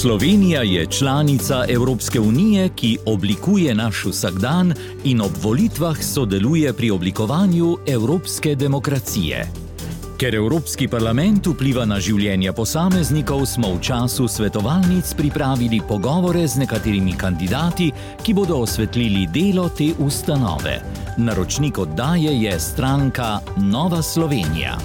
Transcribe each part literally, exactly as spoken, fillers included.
Slovenija je članica Evropske unije, ki oblikuje naš vsakdan in ob volitvah sodeluje pri oblikovanju evropske demokracije. Ker Evropski parlament vpliva na življenje posameznikov, smo v času svetovalnic pripravili pogovore z nekaterimi kandidati, ki bodo osvetlili delo te ustanove. Naročnik oddaje je stranka Nova Slovenija.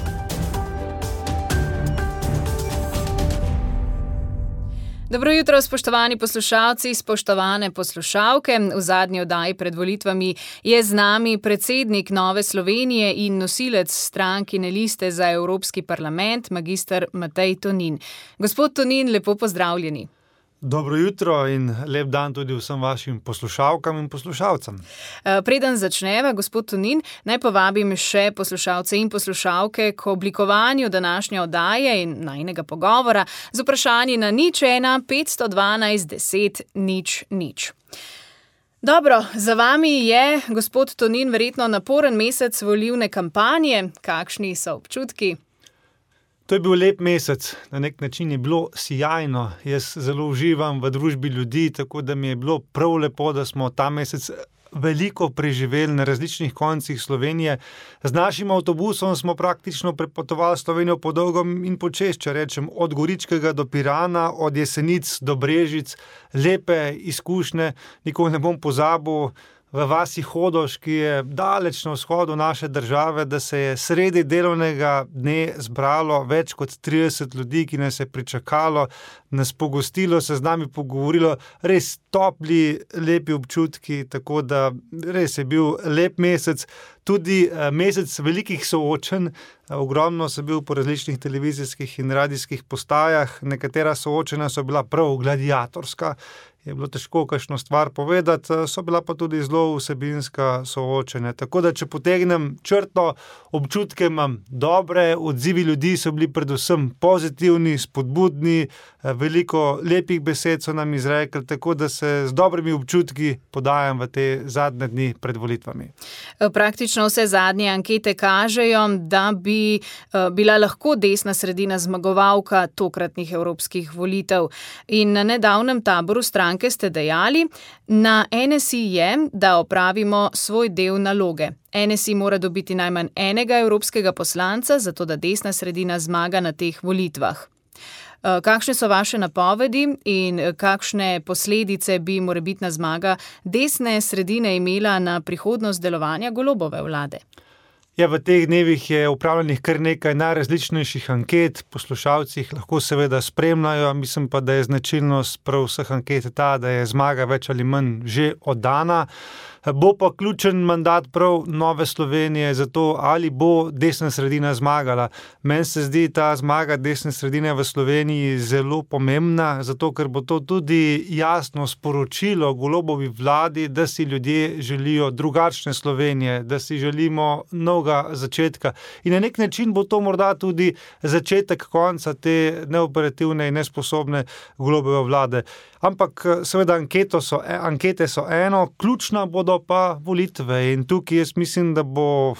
Dobro jutro, spoštovani poslušalci, spoštovane poslušalke. V zadnji oddaji pred volitvami je z nami predsednik Nove Slovenije in nosilec strankine liste za Evropski parlament, magister Matej Tonin. Gospod Tonin, lepo pozdravljeni. Dobro jutro in lep dan tudi vsem vašim poslušalkam in poslušalcem. Preden začneva, gospod Tonin, naj povabim še poslušalce in poslušalke k oblikovanju današnje oddaje in najinega pogovora z vprašanji na nič ena petsto dvanajst deset nič nič. Dobro, za vami je, gospod Tonin, verjetno naporen mesec volilne kampanje. Kakšni so občutki? To je bil lep mesec, na nek način je bilo sijajno. Jaz zelo uživam v družbi ljudi, tako da mi je bilo prav lepo, da smo ta mesec veliko preživeli na različnih koncih Slovenije. Z našim avtobusom smo praktično prepotovali Slovenijo po dolgom in počez, če rečem, od Goričkega do Pirana, od Jesenic do Brežic. Lepe izkušnje, nikoli ne bom pozabil, v vasi Hodoš, ki je daleč na vzhodu naše države, da se je sredi delovnega dne zbralo več kot trideset ljudi, ki nas je pričakalo, nas pogostilo, se z nami pogovorilo, res topli, lepi občutki, tako da res je bil lep mesec, tudi mesec velikih soočenj. Ogromno sem bil po različnih televizijskih in radijskih postajah, nekatera soočenja so bila prav gladiatorska, je bilo težko kakšno stvar povedati, so bila pa tudi zelo vsebinska soočenja. Tako da, če potegnem črto, občutke imam dobre, odzivi ljudi so bili predvsem pozitivni, spodbudni, veliko lepih besed so nam izrekli, tako da se z dobrimi občutki podajam v te zadnje dni pred volitvami. Praktično vse zadnje ankete kažejo, da bi bila lahko desna sredina zmagovalka tokratnih evropskih volitev. In na nedavnem taboru stranke ste dejali, na N S I je, da opravimo svoj del naloge. N S I mora dobiti najmanj enega evropskega poslanca, zato da desna sredina zmaga na teh volitvah. Kakšne so vaše napovedi in kakšne posledice bi morebitna zmaga desne sredine imela na prihodnost delovanja Golobove vlade? Ja, v teh dnevih je upravljenih kar nekaj najrazličnejših anket, poslušalci jih lahko seveda spremljajo, mislim pa, da je značilnost prav vseh anket ta, da je zmaga več ali manj že oddana. Bo pa ključen mandat prav Nove Slovenije za to, ali bo desna sredina zmagala. Meni se zdi ta zmaga desne sredine v Sloveniji zelo pomembna, zato ker bo to tudi jasno sporočilo Golobovi vladi, da si ljudje želijo drugačne Slovenije, da si želimo novega začetka. In na nek način bo to morda tudi začetek konca te neoperativne in nesposobne Golobove vlade. Ampak seveda anketo so, ankete so eno, ključna bodo pa volitve in tukaj jaz mislim, da bo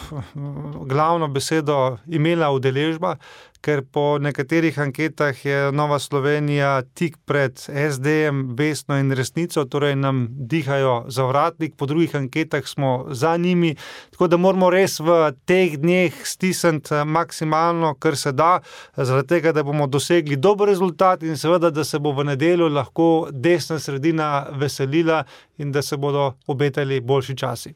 glavno besedo imela udeležba, ker po nekaterih anketah je Nova Slovenija tik pred S D-jem, Vesno in Resnico, torej nam dihajo zavratnik, po drugih anketah smo za njimi, tako da moramo res v teh dneh stisniti maksimalno, kar se da, zaradi tega, da bomo dosegli dober rezultat in seveda, da se bo v nedeljo lahko desna sredina veselila in da se bodo obetali boljši časi.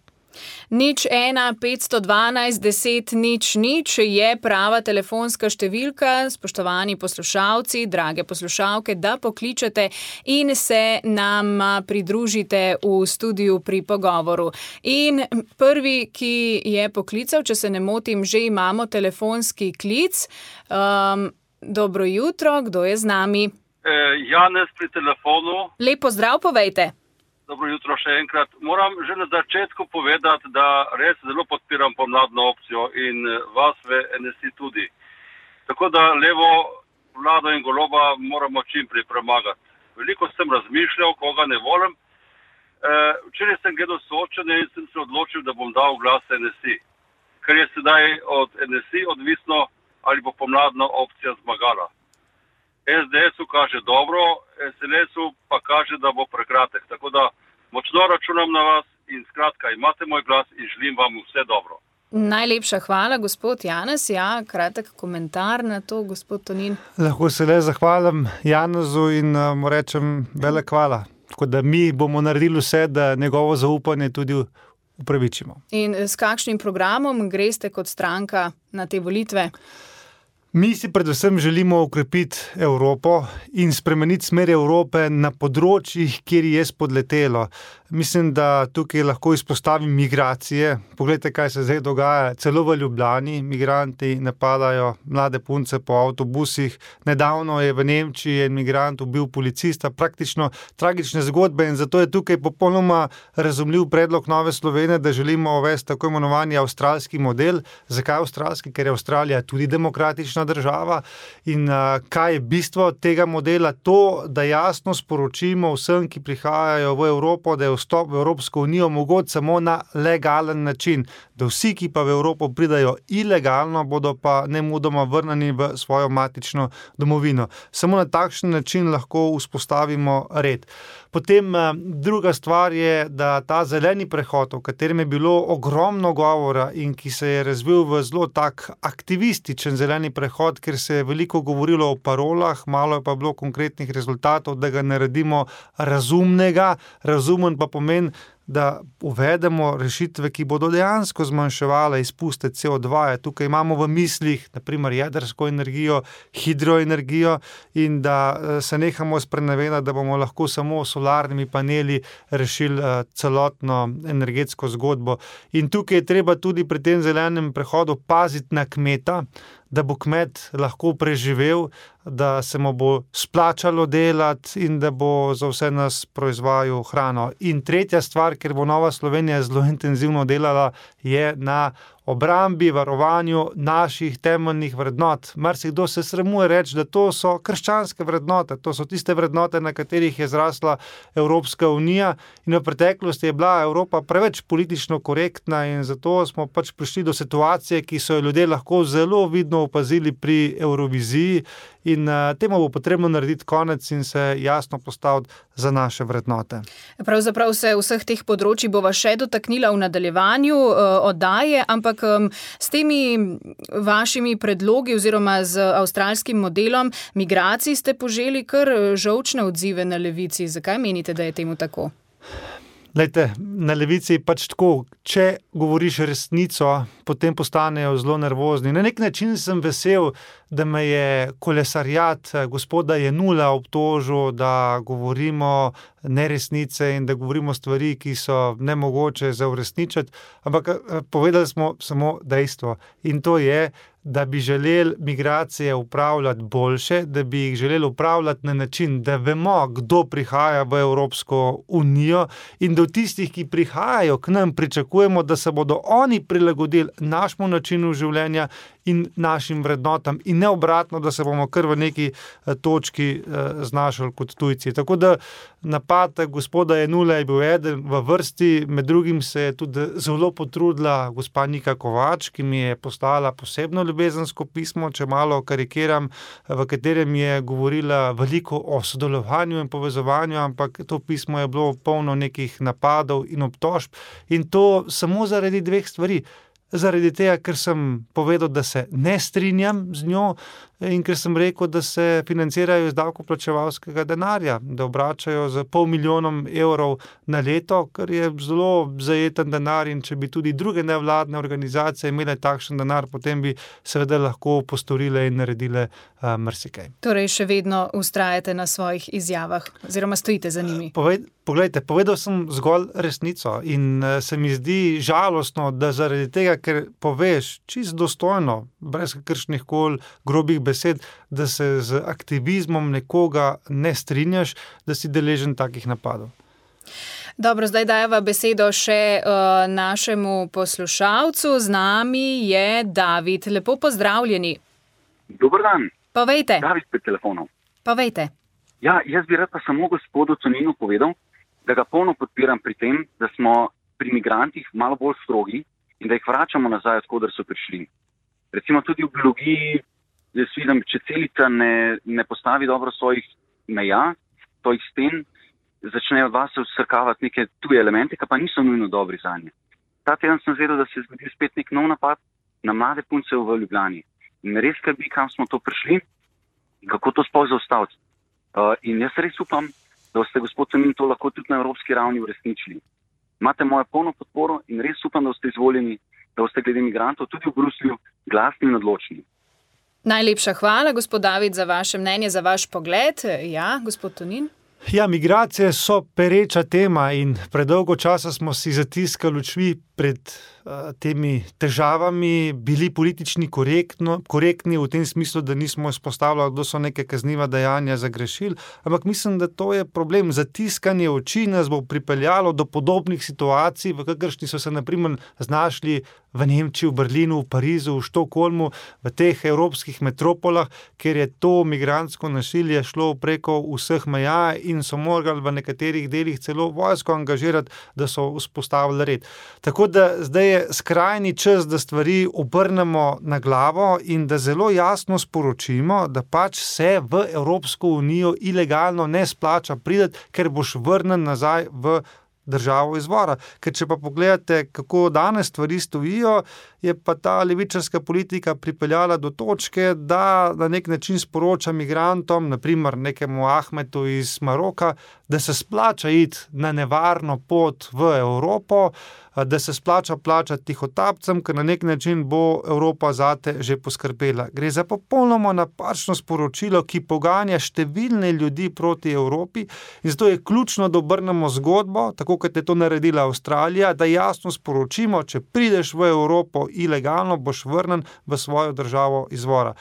Nič ena petsto dvanajst deset nič nič je prava telefonska številka, spoštovani poslušalci, drage poslušalke, da pokličete in se nam pridružite v studiu pri pogovoru. In prvi, ki je poklical, če se ne motim, že imamo telefonski klic. Um, dobro jutro, kdo je z nami? E, Janez pri telefonu. Lep pozdrav, povejte. Dobro jutro še enkrat. Moram že na začetku povedati, da res zelo podpiram pomladno opcijo in vas v N S I tudi. Tako da levo vlado in Goloba moramo čim prej premagati. Veliko sem razmišljal, koga ne volim. Včeraj sem gledal soočenje in sem se odločil, da bom dal glas N S I. Ker je sedaj od N S I odvisno, ali bo pomladna opcija zmagala. es de esu kaže dobro, es el esu pa kaže, da bo prekratek. Tako da močno računam na vas in skratka, imate moj glas in želim vam vse dobro. Najlepša hvala, gospod Janez. Ja, kratek komentar na to, gospod Tonin. Lahko se le zahvalim Janezu in mu rečem velik hvala. Tako da mi bomo naredili vse, da njegovo zaupanje tudi upravičimo. In s kakšnim programom greste kot stranka na te volitve? Mi si predvsem želimo okrepiti Evropo in spremeniti smer Evrope na področjih, kjer je spodletelo. Mislim, da tukaj lahko izpostavim migracije. Poglejte, kaj se zdaj dogaja. Celo v Ljubljani migranti napadajo mlade punce po avtobusih. Nedavno je v Nemčiji en migrant ubil policista. Praktično tragične zgodbe in zato je tukaj popolnoma razumljiv predlog Nove Slovenije, da želimo uvesti tako imenovani avstralski model. Zakaj avstralski? Ker je Avstralija tudi demokratična država. In uh, kaj je bistvo tega modela? To, da jasno sporočimo vsem, ki prihajajo v Evropo, da je vstop v Evropsko unijo mogoč samo na legalen način. Da vsi, ki pa v Evropo pridajo ilegalno, bodo pa nemudoma vrneni v svojo matično domovino. Samo na takšen način lahko vzpostavimo red. Potem druga stvar je, da ta zeleni prehod, o katerem je bilo ogromno govora in ki se je razvil v zelo tak aktivističen zeleni prehod, ker se je veliko govorilo o parolah, malo je pa bilo konkretnih rezultatov, da ga naredimo razumnega. Razumen pa pomeni, da uvedemo rešitve, ki bodo dejansko zmanjševale izpuste ce o dva. Tukaj imamo v mislih naprimer jedrsko energijo, hidroenergijo in da se nehamo sprenevedati, da bomo lahko samo s solarnimi paneli rešili celotno energetsko zgodbo. In tukaj je treba tudi pri tem zelenem prehodu paziti na kmeta, da bo kmet lahko preživel, da se mu bo splačalo delati in da bo za vse nas proizvajal hrano. In tretja stvar, ker bo Nova Slovenija zelo intenzivno delala, je na obrambi, varovanju naših temeljnih vrednot. Marsikdo se sramuje reči, da to so krščanske vrednote, to so tiste vrednote, na katerih je zrasla Evropska unija in v preteklosti je bila Evropa preveč politično korektna in zato smo pač prišli do situacije, ki so jo ljudje lahko zelo vidno opazili pri Euroviziji in uh, temu bo potrebno narediti konec in se jasno postaviti za naše vrednote. Pravzaprav se vseh teh področji bova še dotaknila v nadaljevanju uh, oddaje, ampak um, s temi vašimi predlogi oziroma z avstralskim modelom migracij ste poželi kar žolčne odzive na levici. Zakaj menite, da je temu tako? Lejte, na levici je pač tako, če govoriš resnico, potem postanejo zelo nervozni. Na nek način sem vesel, da me je kolesarjat gospoda Jenula obtožil, da govorimo neresnice in da govorimo stvari, ki so nemogoče za uresničiti, ampak povedali smo samo dejstvo in to je, da bi želeli migracije upravljati boljše, da bi jih želeli upravljati na način, da vemo, kdo prihaja v Evropsko unijo in da v tistih, ki prihajajo k nam, pričakujemo, da se bodo oni prilagodili našemu načinu življenja in našim vrednotam in ne obratno, da se bomo kar v neki točki znašali kot tujci. Tako da napad gospoda Jenula je bil eden v vrsti, med drugim se je tudi zelo potrudila gospa Nika Kovač, ki mi je poslala posebno ljubezensko pismo, če malo karikiram, v katerem je govorila veliko o sodelovanju in povezovanju, ampak to pismo je bilo polno nekih napadov in obtožb in to samo zaradi dveh stvari. Zaradi tega, ker sem povedal, da se ne strinjam z njo in ker sem rekel, da se financirajo iz davkoplačevalskega denarja, da obračajo z pol milijonom evrov na leto, kar je zelo zajeten denar in če bi tudi druge nevladne organizacije imele takšen denar, potem bi seveda lahko postorile in naredile uh, marsikaj. Torej še vedno vztrajate na svojih izjavah oziroma stojite za njimi? Poved, poglejte, povedal sem zgolj resnico in uh, se mi zdi žalostno, da zaradi tega, ker poveš čisto dostojno, brez kakršnih koli grobih besed, da se z aktivizmom nekoga ne strinjaš, da si deležen takih napadov. Dobro, zdaj dajeva besedo še uh, našemu poslušalcu. Z nami je David. Lepo pozdravljeni. Dober dan. Povejte. David pri telefonu. Povejte. Ja, jaz bi rad pa samo gospodu Toninu povedal, da ga polno podpiram pri tem, da smo pri migrantih malo bolj strogi in da jih vračamo nazaj, odkoder so prišli. Recimo tudi v biologiji jaz vidim, če celica ne, ne postavi dobro svojih meja, svojih sten, začnejo od vas vsrkavati neke tuje elemente, ki pa niso nujno dobri za nje. Ta teden sem zvedel, da se je zgodil spet nek nov napad na mlade punce v Ljubljani. In res skrbi, kam smo to prišli, kako to sploh zaustaviti. Uh, in jaz res upam, da ste, gospod Tonin, to lahko tudi na evropski ravni uresničili. Imate mojo polno podporo in res upam, da ste izvoljeni, da ste glede migrantov tudi v Bruslju glasni in odločni. Najlepša hvala, gospod David, za vaše mnenje, za vaš pogled. Ja, gospod Tonin. Ja, migracije so pereča tema in predolgo časa smo si zatiskali oči pred uh, temi težavami, bili politični korektno, korektni v tem smislu, da nismo izpostavljali, kdo so neke kazniva dejanja zagrešili, ampak mislim, da to je problem. Zatiskanje oči nas bo pripeljalo do podobnih situacij, v kakršni so se na primer znašli v Nemčiji, v Berlinu, v Parizu, v Štokholmu, v teh evropskih metropolah, kjer je to migrantsko nasilje šlo preko vseh meja in so morali v nekaterih delih celo vojsko angažirati, da so vzpostavili red. Tako da zdaj je skrajni čas, da stvari obrnemo na glavo in da zelo jasno sporočimo, da pač se v Evropsko unijo ilegalno ne splača priti, ker boš vrnen nazaj v državo izvora. Ker če pa pogledate, kako danes stvari stojijo, je pa ta levičarska politika pripeljala do točke, da na nek način sporoča migrantom, naprimer nekemu Ahmetu iz Maroka, da se splača iti na nevarno pot v Evropo, da se splača plačati tihotapcem, ker na nek način bo Evropa zate že poskrbela. Gre za popolnoma napačno sporočilo, ki poganja številne ljudi proti Evropi in zato je ključno, da obrnemo zgodbo, tako kot je to naredila Avstralija, da jasno sporočimo, če prideš v Evropo ilegalno, boš vrnen v svojo državo izvora.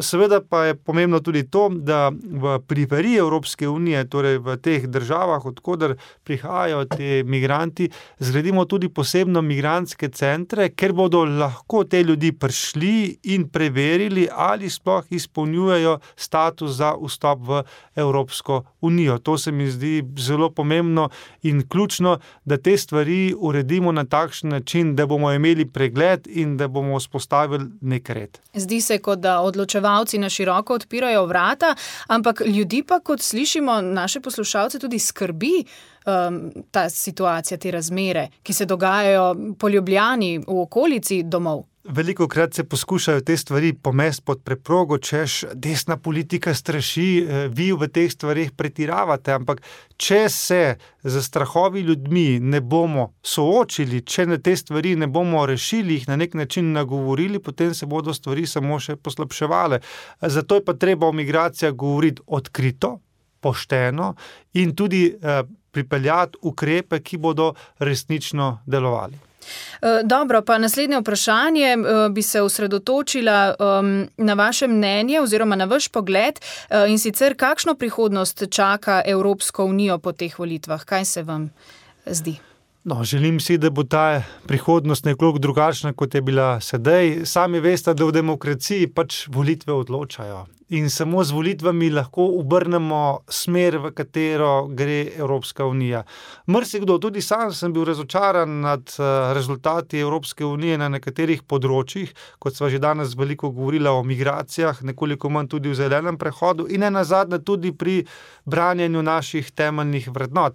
Seveda pa je pomembno tudi to, da v periferiji Evropske unije, torej v teh državah, odkoder prihajajo ti migranti, zgradimo tudi posebno migrantske centre, ker bodo lahko te ljudi prišli in preverili, ali sploh izpolnjujejo status za vstop v Evropsko unijo. To se mi zdi zelo pomembno in ključno, da te stvari uredimo na takšen način, da bomo imeli pregled in da bomo vzpostavili nek red. Zdi se, kot da odločevalci na široko odpirajo vrata, ampak ljudi pa, kot slišimo, naše poslušalce tudi skrbi um, ta situacija, te razmere, ki se dogajajo po Ljubljani, v okolici domov. Veliko krat se poskušajo te stvari pomesti pod preprogo, češ desna politika straši, vi v teh stvarih pretiravate, ampak če se z strahovi ljudmi ne bomo soočili, če na te stvari ne bomo rešili, jih na nek način nagovorili, potem se bodo stvari samo še poslabševale. Zato je pa treba o migracijah govoriti odkrito, pošteno in tudi eh, pripeljati ukrepe, ki bodo resnično delovali. Dobro, pa naslednje vprašanje bi se osredotočila na vaše mnenje oziroma na vaš pogled in sicer kakšno prihodnost čaka Evropsko unijo po teh volitvah? Kaj se vam zdi? No, želim si, da bo ta prihodnost nekoliko drugačna, kot je bila sedaj. Sami veste, da v demokraciji pač volitve odločajo. In samo z volitvami lahko obrnemo smer, v katero gre Evropska unija. Marsikdo, tudi sam sem bil razočaran nad rezultati Evropske unije na nekaterih področjih, kot sva že danes veliko govorila o migracijah, nekoliko manj tudi v zelenem prehodu in nenazadnje tudi pri branjenju naših temeljnih vrednot.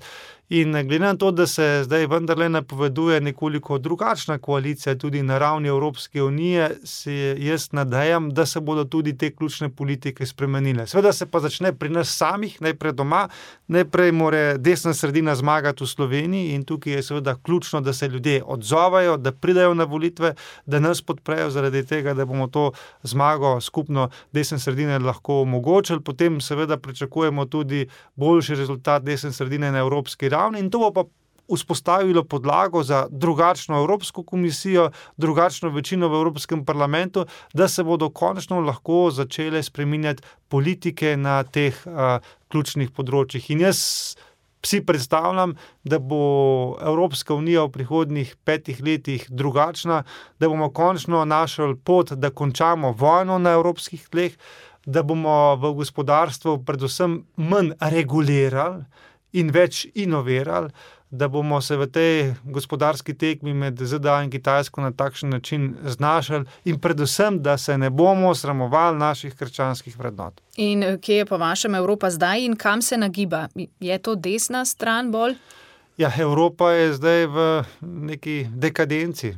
In glede na to, da se zdaj vendarle napoveduje nekoliko drugačna koalicija tudi na ravni Evropske unije, se jaz nadejam, da se bodo tudi te ključne politike spremenile. Seveda se pa začne pri nas samih, najprej doma, najprej mora desna sredina zmagati v Sloveniji in tukaj je seveda ključno, da se ljudje odzovajo, da pridejo na volitve, da nas podprejo zaradi tega, da bomo to zmago skupno desne sredine lahko omogočili. Potem seveda pričakujemo tudi boljši rezultat desne sredine na evropski ravni in to bo pa vzpostavilo podlago za drugačno Evropsko komisijo, drugačno večino v Evropskem parlamentu, da se bodo končno lahko začele spreminjati politike na teh uh, ključnih področjih. In jaz si predstavljam, da bo Evropska unija v prihodnjih petih letih drugačna, da bomo končno našli pot, da končamo vojno na evropskih tleh, da bomo v gospodarstvu predvsem manj regulirali in več inovirali, da bomo se v tej gospodarski tekmi med Z D A in Kitajsko na takšen način znašali in predvsem, da se ne bomo sramovali naših krščanskih vrednot. In kje je po vašem Evropa zdaj in kam se nagiba? Je to desna stran bolj? Ja, Evropa je zdaj v neki dekadenci.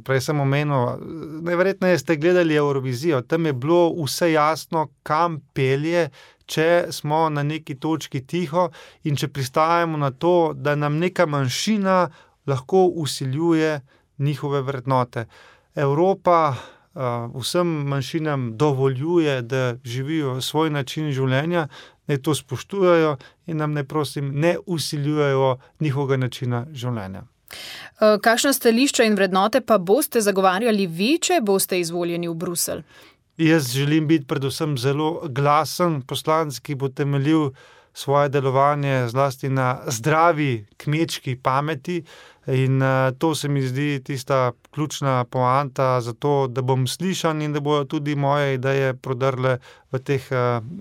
Prej sem omenil, najverjetneje ste gledali Eurovizijo, tam je bilo vse jasno, kam pelje, če smo na neki točki tiho in če pristajamo na to, da nam neka manjšina lahko vsiljuje njihove vrednote. Evropa uh, vsem manjšinam dovoljuje, da živijo svoj način življenja, naj to spoštujejo in nam, naj prosim, ne vsiljujejo njihovega načina življenja. Kakšna stališča in vrednote pa boste zagovarjali vi, če boste izvoljeni v Bruselj? Jaz želim biti predvsem zelo glasen poslanec, ki bo temeljil svoje delovanje zlasti na zdravi kmečki pameti in to se mi zdi tista ključna poanta za to, da bom slišan in da bojo tudi moje ideje prodrle v teh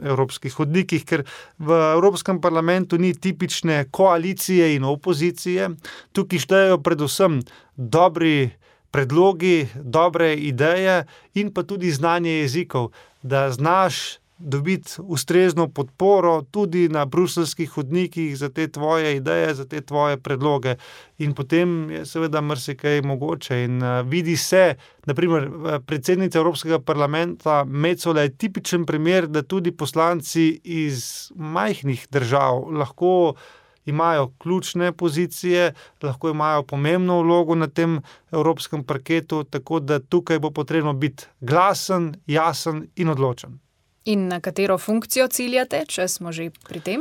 evropskih hodnikih, ker v Evropskem parlamentu ni tipične koalicije in opozicije. Tukaj štejejo predvsem dobri predlogi, dobre ideje in pa tudi znanje jezikov, da znaš dobiti ustrezno podporo tudi na bruseljskih hodnikih za te tvoje ideje, za te tvoje predloge. In potem je seveda marsikaj mogoče. In uh, vidi se, naprimer, predsednica Evropskega parlamenta Metsola je tipičen primer, da tudi poslanci iz majhnih držav lahko imajo ključne pozicije, lahko imajo pomembno vlogo na tem evropskem parketu, tako da tukaj bo potrebno biti glasen, jasen in odločen. In na katero funkcijo ciljate, če smo že pri tem?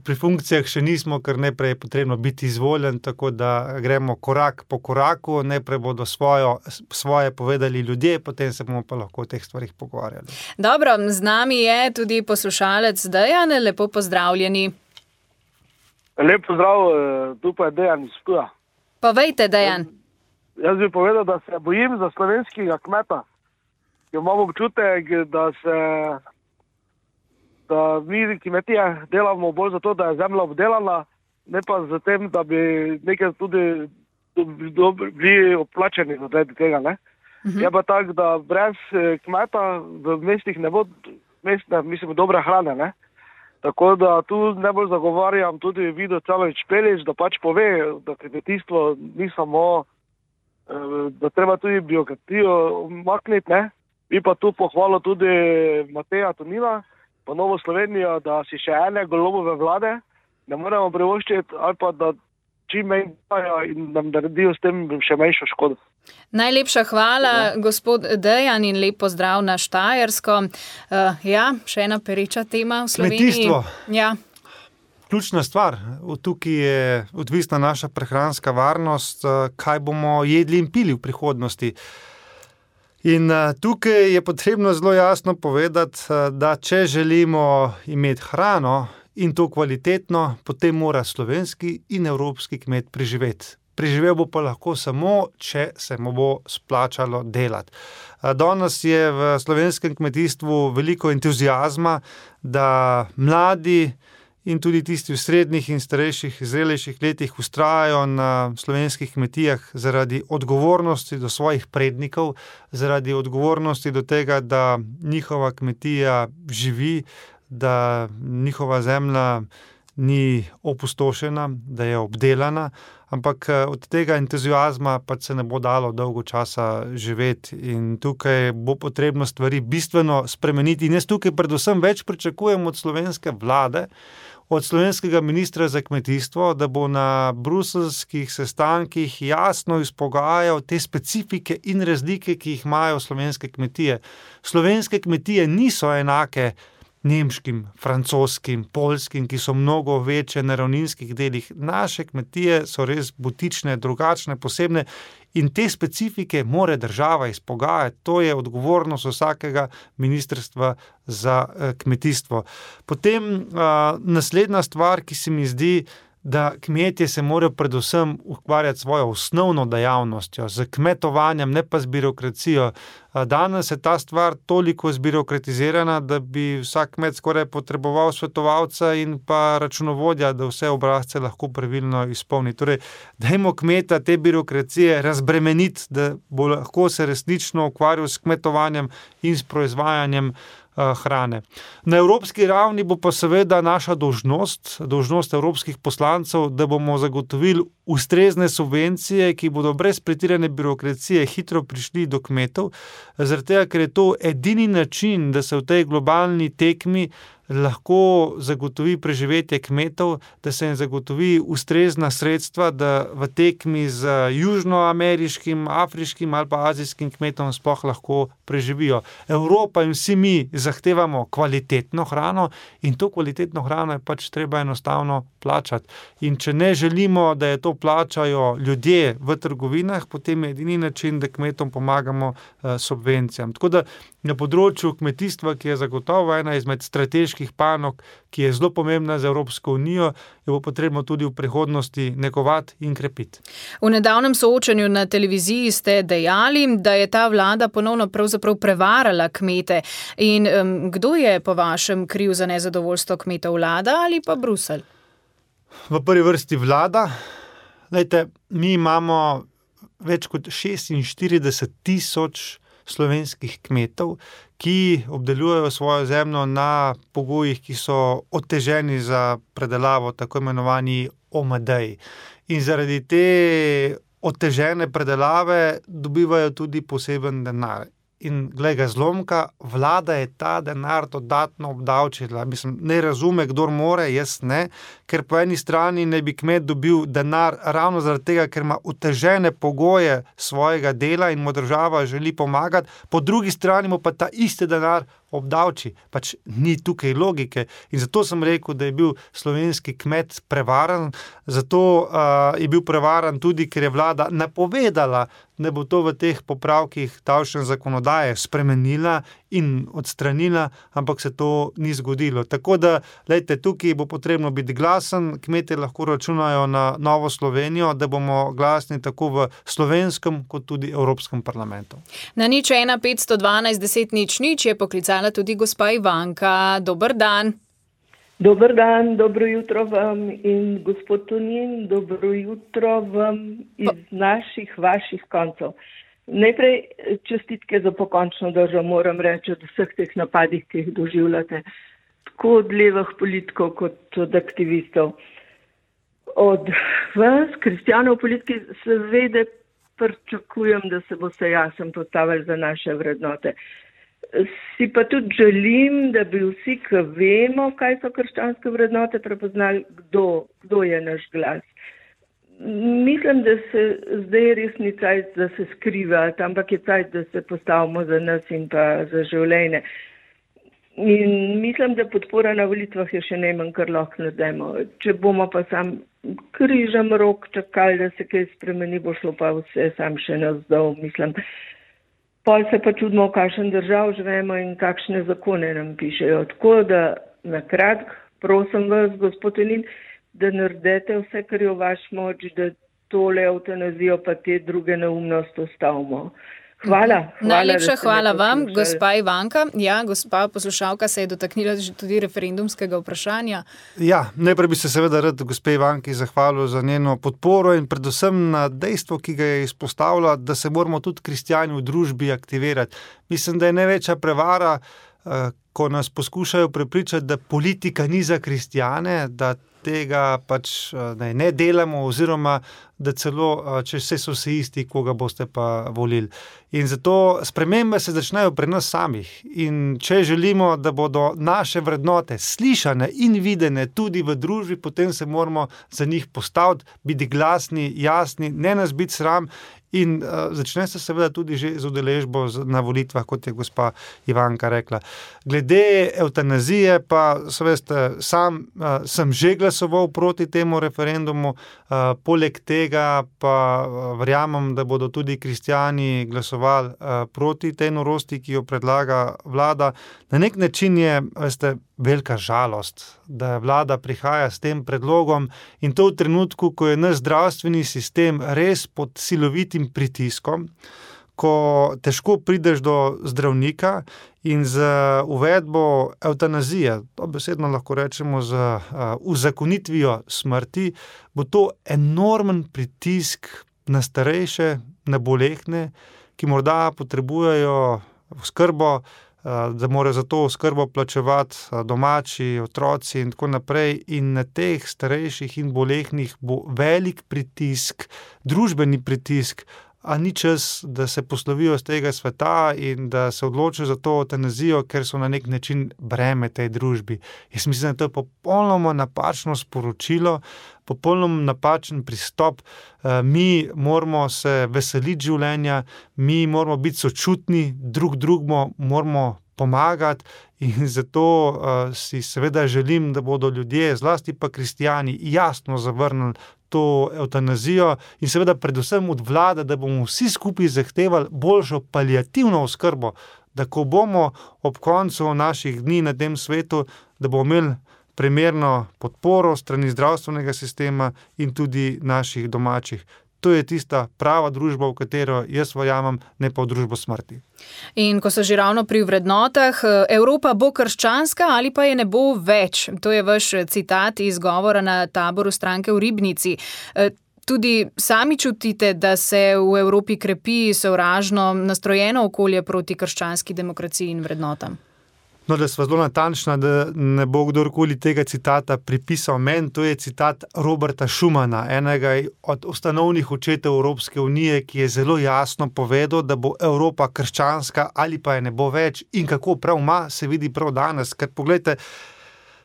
Pri funkcijah še nismo, ker najprej je potrebno biti izvoljen, tako da gremo korak po koraku, najprej bodo svojo, svoje povedali ljudje, potem se bomo pa lahko o teh stvarih pogovarjali. Dobro, z nami je tudi poslušalec Dejan, lepo pozdravljeni. Lep pozdrav, tu pa je Dejan iz Ptuja. Povejte, Dejan. Jaz bi povedal, da se bojim za slovenskega kmeta. Imamo občutek, da se da mi kmetije delamo bolj zato, da je zemlja obdelana, ne pa za tem, da bi nekaj tudi bili oplačeni zaradi tega. Ne? Uh-huh. Je pa tako, da brez kmeta v mestih ne bo mestne, mislim, dobre hrane. Ne? Tako da tu najbolj zagovarjam tudi Vido Čalović-Pelec, da pač pove, da kmetijstvo ni samo, da treba tudi biokratijo makniti, ne? Bi pa tu pohvalil tudi Mateja Tonina, pa Novo Slovenijo, da si še ene Golobove vlade ne moremo privoščiti ali pa da čim manj dajo in nam naredijo s tem še manjšo škodo. Najlepša hvala, ja. Gospod Dejan, in lep pozdrav na Štajersko. Uh, ja, še ena pereča tema v Sloveniji. Kmetijstvo. Ja. Ključna stvar. Tukaj je odvisna naša prehranska varnost, kaj bomo jedli in pili v prihodnosti. In tukaj je potrebno zelo jasno povedati, da če želimo imeti hrano in to kvalitetno, potem mora slovenski in evropski kmet preživeti. Preživel bo pa lahko samo, če se mu bo splačalo delati. Danes je v slovenskem kmetijstvu veliko entuziazma, da mladi in tudi tisti v srednjih in starejših, zrelejših letih vztrajajo na slovenskih kmetijah zaradi odgovornosti do svojih prednikov, zaradi odgovornosti do tega, da njihova kmetija živi, da njihova zemlja ni opustošena, da je obdelana, ampak od tega entuziazma pa se ne bo dalo dolgo časa živeti in tukaj bo potrebno stvari bistveno spremeniti. In jaz tukaj predvsem več pričakujem od slovenske vlade, od slovenskega ministra za kmetijstvo, da bo na bruseljskih sestankih jasno izpogajal te specifike in razlike, ki jih imajo slovenske kmetije. Slovenske kmetije niso enake nemškim, francoskim, poljskim, ki so mnogo večje na ravninskih delih. Naše kmetije so res butične, drugačne, posebne in te specifike mora država izpogajati. To je odgovornost vsakega ministrstva za kmetijstvo. Potem uh, naslednja stvar, ki se mi zdi, da kmetje se morajo predvsem ukvarjati svojo osnovno dejavnostjo, z kmetovanjem, ne pa z birokracijo. Danes je ta stvar toliko zbirokratizirana, da bi vsak kmet skoraj potreboval svetovalca in pa računovodja, da vse obrazce lahko pravilno izpolni. Torej, dajmo kmeta te birokracije razbremeniti, da bo lahko se resnično ukvarjal s kmetovanjem in s proizvajanjem hrane. Na evropski ravni bo pa seveda naša dolžnost, dolžnost evropskih poslancev, da bomo zagotovili ustrezne subvencije, ki bodo brez pretirane birokracije hitro prišli do kmetov, zaradi tega, ker je to edini način, da se v tej globalni tekmi lahko zagotovi preživetje kmetov, da se jim zagotovi ustrezna sredstva, da v tekmi z južnoameriškim, afriškim ali pa azijskim kmetom sploh lahko preživijo. Evropa in vsi mi zahtevamo kvalitetno hrano in to kvalitetno hrano je pač treba enostavno plačati. In če ne želimo, da je to plačajo ljudje v trgovinah, potem je edini način, da kmetom pomagamo uh, subvencijam. Tako da na področju kmetijstva, ki je zagotovo ena izmed strateških panog, ki je zelo pomembna za Evropsko unijo, jo bo potrebno tudi v prihodnosti negovati in krepiti. V nedavnem soočenju na televiziji ste dejali, da je ta vlada ponovno pravzaprav prevarala kmete. In um, kdo je po vašem kriv za nezadovoljstvo kmetov, vlada ali pa Bruselj? V prvi vrsti vlada. Lejte, mi imamo več kot šestinštirideset tisoč slovenskih kmetov, ki obdelujejo svojo zemljo na pogojih, ki so oteženi za predelavo, tako imenovani O M D-ji. In zaradi te otežene predelave dobivajo tudi poseben denar. In glej ga zlomka, vlada je ta denar dodatno obdavčila. Mislim, ne razume, kdor more, jaz ne, ker po eni strani ne bi kmet dobil denar ravno zaradi tega, ker ima otežene pogoje svojega dela in mu država želi pomagati, po drugi strani mu pa ta isti denar obdavči. Pač ni tukaj logike. In zato sem rekel, da je bil slovenski kmet prevaran, zato uh, je bil prevaran tudi, ker je vlada napovedala, da bo to v teh popravkih davčne zakonodaje spremenila in odstranila, ampak se to ni zgodilo. Tako da, lejte, tukaj bo potrebno biti glasen, kmetje lahko računajo na Novo Slovenijo, da bomo glasni tako v slovenskem kot tudi Evropskem parlamentu. Na nič ena petsto dvanajst deset nič nič je poklicala tudi gospa Ivanka. Dober dan. Dober dan, dobro jutro vam in gospod Tonin, dobro jutro vam iz naših, vaših koncev. Najprej čestitke za pokončno držo, moram reči, od vseh teh napadih, ki jih doživljate, tako od levih politikov kot od aktivistov. Od vas, kristjanov politiki, seveda pričakujem, da se boste jasno postavili za naše vrednote. Si pa tudi želim, da bi vsi, ki vemo, kaj so krščanske vrednote, prepoznali, kdo, kdo je naš glas. Mislim, da se zdaj res ni cajt, da se skriva, ampak je cajt, da se postavimo za nas in pa za življenje. In mislim, da podpora na volitvah je še najmanj, kar lahko naredimo. Če bomo pa sam križem rok čakali, da se kaj spremeni, bo šlo pa vse sam še navzdol, mislim. Pol se pa čudimo, v kakšen držav živimo in kakšne zakone nam pišejo. Tako da, na kratko, prosim vas, gospod Tonin, da naredite vse, kar je v vaš moč, da tole eutanazijo pa te druge neumnosti ustavimo. Hvala. hvala Najlepša hvala vam, gospa Ivanka. Ja, gospa poslušalka se je dotaknila tudi referendumskega vprašanja. Ja, najprej bi se seveda rad gospe Ivanki zahvalil za njeno podporo in predvsem na dejstvo, ki ga je izpostavila, da se moramo tudi kristjani v družbi aktivirati. Mislim, da je največja prevara, ko nas poskušajo prepričati, da politika ni za kristjane, da tega pač ne, ne delamo oziroma da celo, če vse so vsi isti, koga boste pa volili. In zato spremembe se začnejo pri nas samih. In če želimo, da bodo naše vrednote slišane in videne tudi v družbi, potem se moramo za njih postaviti, biti glasni, jasni, ne nas biti sram. In uh, začne se seveda tudi že z udeležbo na volitvah, kot je gospa Ivanka rekla. Glede evtanazije pa, so veste, sam uh, sem že glasoval proti temu referendumu, uh, poleg tega tega pa verjamem, da bodo tudi kristjani glasovali proti tej norosti, ki jo predlaga vlada. Na nek način je, veste, velika žalost, da vlada prihaja s tem predlogom in to v trenutku, ko je naš zdravstveni sistem res pod silovitim pritiskom, ko težko prideš do zdravnika in z uvedbo evtanazije, dobesedno lahko rečemo z uzakonitvijo smrti, bo to enormen pritisk na starejše, na bolehne, ki morda potrebujejo oskrbo, da morajo za to oskrbo plačevati domači, otroci in tako naprej. In na teh starejših in bolehnih bo velik pritisk, družbeni pritisk, a ni čas, da se poslovijo z tega sveta in da se odločijo za to evtanazijo, ker so na nek način breme tej družbi. Jaz mislim, da to je popolnoma napačno sporočilo, popolnoma napačen pristop. Mi moramo se veseliti življenja, mi moramo biti sočutni, drug drugemu moramo pomagati in zato uh, si seveda želim, da bodo ljudje, zlasti pa kristjani, jasno zavrnili to evtanazijo in seveda predvsem od vlade, da bomo vsi skupaj zahtevali boljšo paliativno oskrbo, da ko bomo ob koncu naših dni na tem svetu, da bomo imeli primerno podporo strani zdravstvenega sistema in tudi naših domačih. To je tista prava družba, v katero jaz verjamem, ne pa v družbo smrti. In ko so že ravno pri vrednotah, Evropa bo krščanska ali pa je ne bo več? To je vaš citat iz govora na taboru stranke v Ribnici. Tudi sami čutite, da se v Evropi krepi sovražno nastrojeno okolje proti krščanski demokraciji in vrednotam? No, da sva zelo natančna, da ne bo kdorkoli tega citata pripisal meni, to je citat Roberta Schumana, enega od ustanovnih očetov Evropske unije, ki je zelo jasno povedal, da bo Evropa krščanska ali pa je ne bo več in kako prav ima, se vidi prav danes. Ker poglejte,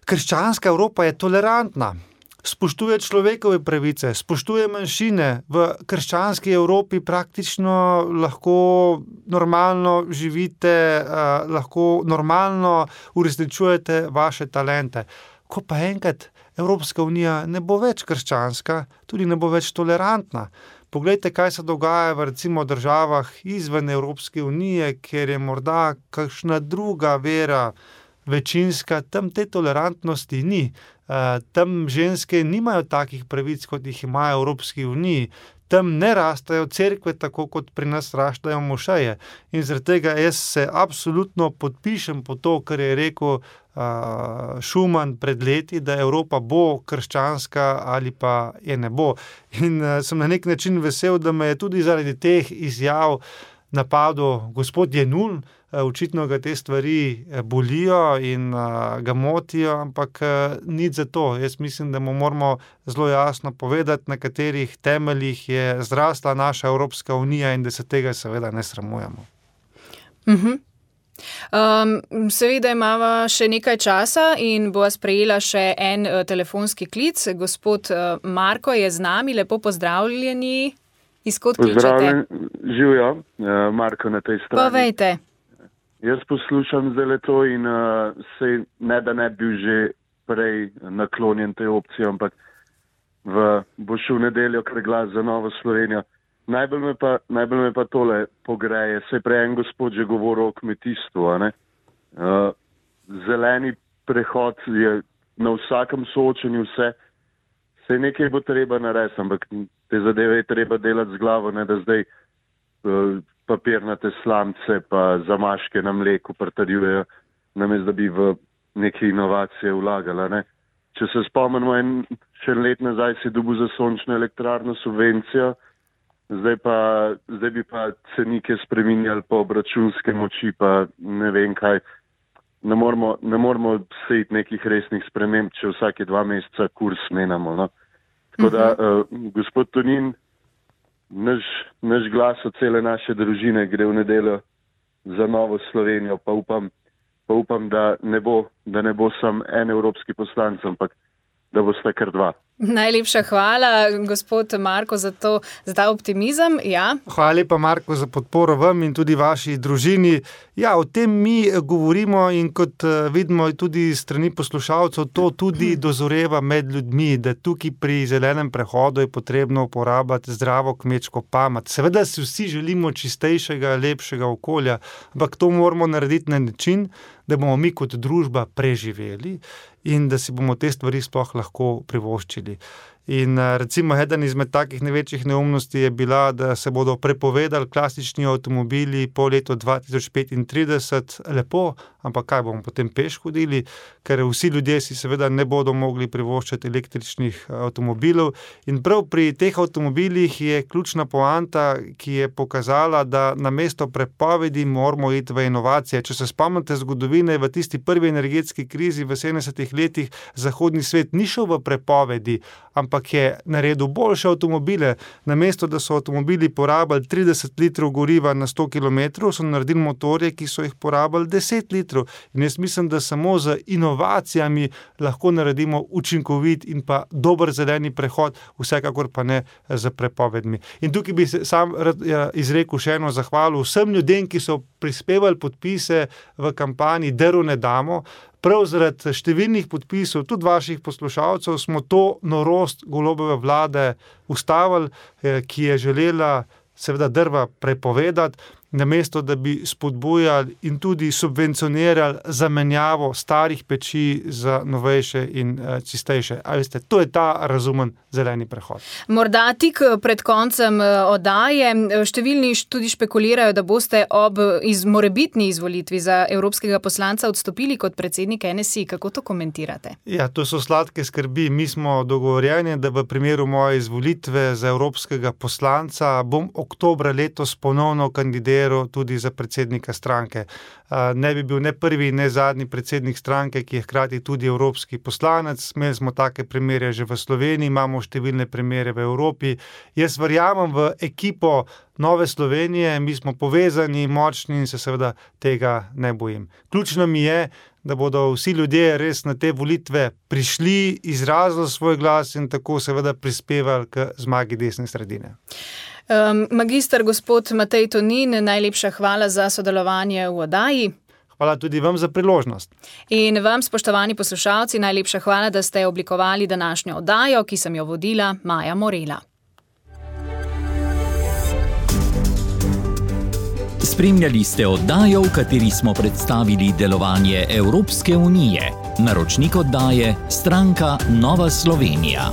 krščanska Evropa je tolerantna, spoštuje človekove pravice, spoštuje manjšine. V krščanski Evropi praktično lahko normalno živite, eh, lahko normalno uresničujete vaše talente. Ko pa enkrat Evropska unija ne bo več krščanska, tudi ne bo več tolerantna. Poglejte, kaj se dogaja v recimo državah izven Evropske unije, kjer je morda kakšna druga vera večinska, tam te tolerantnosti ni. Tam ženske nimajo takih pravic, kot jih imajo v Evropski uniji. Tam ne rastajo cerkve tako, kot pri nas raštajo mošeje. In zaradi tega jaz se absolutno podpišem po to, kar je rekel uh, Schuman pred leti, da Evropa bo krščanska ali pa je ne bo. In uh, sem na nek način vesel, da me je tudi zaradi teh izjav napadel gospod Jenull. Očitno ga te stvari bolijo in uh, ga motijo, ampak uh, nič za to. Jaz mislim, da mu moramo zelo jasno povedati, na katerih temeljih je zrasla naša Evropska unija in da se tega seveda ne sramujemo. Uh-huh. Um, seveda imava še nekaj časa in bova sprejela še en uh, telefonski klic. Gospod uh, Marko je z nami, lepo pozdravljeni. Izkot kličete? Pozdravljen, živijo, uh, Marko na tej strani. Povejte. Jaz poslušam zdaj to in uh, sej ne, da ne bil že prej naklonjen tej opciji, ampak v, bo šel v nedeljo kar glas za Novo Slovenijo. Najbolj me pa, najbolj me pa tole pogreje. Sej prej en gospod že govoril o kmetijstvu. A ne? Uh, zeleni prehod je na vsakem soočenju vse. Sej nekaj bo treba narediti, ampak te zadeve je treba delati z glavo, ne da zdaj uh, papirnate slamce pa zamaške na mleku pritrjujejo, namesto da bi v neke inovacije vlagala. Ne? Če se spomnimo, en še let nazaj si dobil za sončno elektrarno subvencijo, zdaj, pa, zdaj bi pa cenike spreminjali po obračunske moči, pa ne vem kaj. Ne moramo, ne moramo sejti nekih resnih sprememb, če vsake dva meseca kurs menamo. No? Tako da, uh, gospod Tonin, Naš, naš glas od cele naše družine gre v nedeljo za Novo Slovenijo, pa upam, pa upam da, ne bo, da ne bo sam en evropski poslanec, ampak da bo sta kar dva. Najlepša hvala, gospod Marko, za, to, za ta optimizem. Ja. Hvala lepa, Marko, za podporo vam in tudi vaši družini. Ja, o tem mi govorimo in kot vidimo tudi strani poslušalcev, to tudi dozoreva med ljudmi, da tukaj pri zelenem prehodu je potrebno uporabljati zdravo kmečko pamet. Seveda si vsi želimo čistejšega, lepšega okolja, ampak to moramo narediti na način, da bomo mi kot družba preživeli in da si bomo te stvari sploh lahko privoščili. In recimo eden izmed takih največjih neumnosti je bila, da se bodo prepovedali klasični avtomobili po letu dva tisoč petintrideset. Lepo, ampak kaj bomo potem peš hodili, ker vsi ljudje si seveda ne bodo mogli privoščiti električnih avtomobilov. In prav pri teh avtomobilih je ključna poanta, ki je pokazala, da namesto prepovedi moramo iti v inovacije. Če se spomnite zgodovine, v tisti prvi energetski krizi v sedemdesetih letih zahodni svet ni šel v prepovedi, ampak je naredil boljše avtomobile. Namesto, da so avtomobili porabili trideset litrov goriva na sto kilometrov, so naredili motorje, ki so jih porabili deset litrov. In jaz mislim, da samo z inovacijami lahko naredimo učinkovit in pa dober zeleni prehod, vsekakor pa ne z prepovedmi. In tukaj bi se sam izrekel še eno zahvalo vsem ljudem, ki so prispevali podpise v kampanji Drv ne damo. Prav zaradi številnih podpisov, tudi vaših poslušalcev, smo to norost Golobove vlade ustavili, ki je želela seveda drva prepovedati, namesto da bi spodbujali in tudi subvencionirali zamenjavo starih peči za novejše in čistejše. A veste, to je ta razumen zeleni prehod. Morda tik pred koncem oddaje številni tudi špekulirajo, da boste ob iz morebitni izvolitvi za evropskega poslanca odstopili kot predsednik N S I. Kako to komentirate? Ja, to so sladke skrbi. Mi smo dogovorjeni, da v primeru moje izvolitve za evropskega poslanca bom oktobra letos ponovno kandidiral tudi za predsednika stranke. Ne bi bil ne prvi, ne zadnji predsednik stranke, ki je hkrati tudi evropski poslanec. Imeli smo take primere že v Sloveniji, imamo številne primere v Evropi. Jaz verjamem v ekipo Nove Slovenije, mi smo povezani, močni in se seveda tega ne bojim. Ključno mi je, da bodo vsi ljudje res na te volitve prišli, izrazili svoj glas in tako seveda prispevali k zmagi desne sredine. Um, magister gospod Matej Tonin, najlepša hvala za sodelovanje v oddaji. Hvala tudi vam za priložnost. In vam, spoštovani poslušalci, najlepša hvala, da ste oblikovali današnjo oddajo, ki sem jo vodila Maja Morela. Spremljali ste oddajo, v kateri smo predstavili delovanje Evropske unije. Naročnik oddaje Stranka Nova Slovenija.